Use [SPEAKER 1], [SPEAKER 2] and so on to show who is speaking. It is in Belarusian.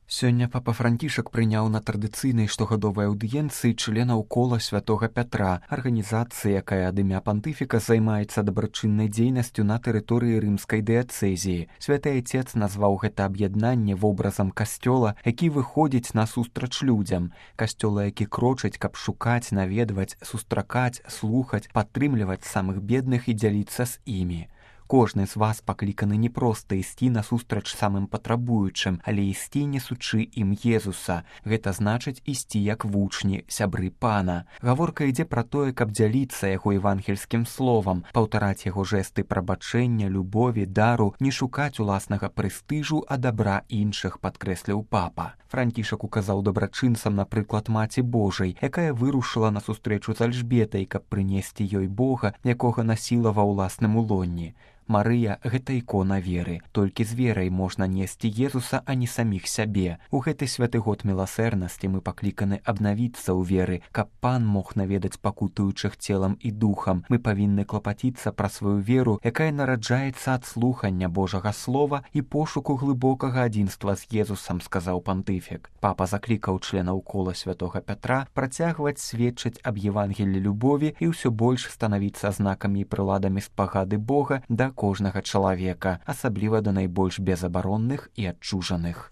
[SPEAKER 1] Сёння папа Францішак прыняў на традыцыйнай штогадовай аўдыенцыі членаў кола святога Пятра, арганізацыі, якая ад імя пантыфіка займаецца дабрачыннай дзейнасцю на тэрыторыі рымскай дыяцэзіі. Святы Айцец назваў гэта аб'яднанне вобразам касцёла, які выходзіць насустрач людзям. Касцёла, які крочыць, каб шукаць, наведваць, сустракаць, слухаць, падтрымліваць самых бедных і дзяліцца з імі. Кожны з вас пакліканы не проста ісці насустрач самым патрабуючым, але ісці несучы ім Езуса. Гэта значыць ісці як вучні, сябры Пана. Гаворка ідзе пра тое, каб дзяліцца яго евангельскім словам, паўтараць яго жэсты прабачэння, любові, дару, не шукаць уласнага прэстыжу, а дабра іншых, падкрэсліў папа. Францішак указаў дабрачынцам на прыклад Маці Божай, якая вырушыла на сустрэчу з Альжбетай, каб прынесці ёй Бога, якога насіла ва ўласным улонні. Марыя – гэта ікона веры. Толькі з верай можна несці Езуса, а не саміх сябе. У гэты святы год міласэрнасці мы пакліканы абнавіцца ў веры, каб Пан мог наведаць пакутуючых целам і духам. Мы павінны клапаціцца пра сваю веру, якая нараджаецца ад слухання Божага Слова і пошуку глыбокага адзінства з Езусам, сказаў пантыфік. Папа заклікаў членаў кола святога Пятра працягваць сведчыць аб Евангелі любові і ўсё больш станавіцца знакамі і прыладамі спагады Бога да кожнага чалавека, асабліва да найбольш безабаронных і адчужаных.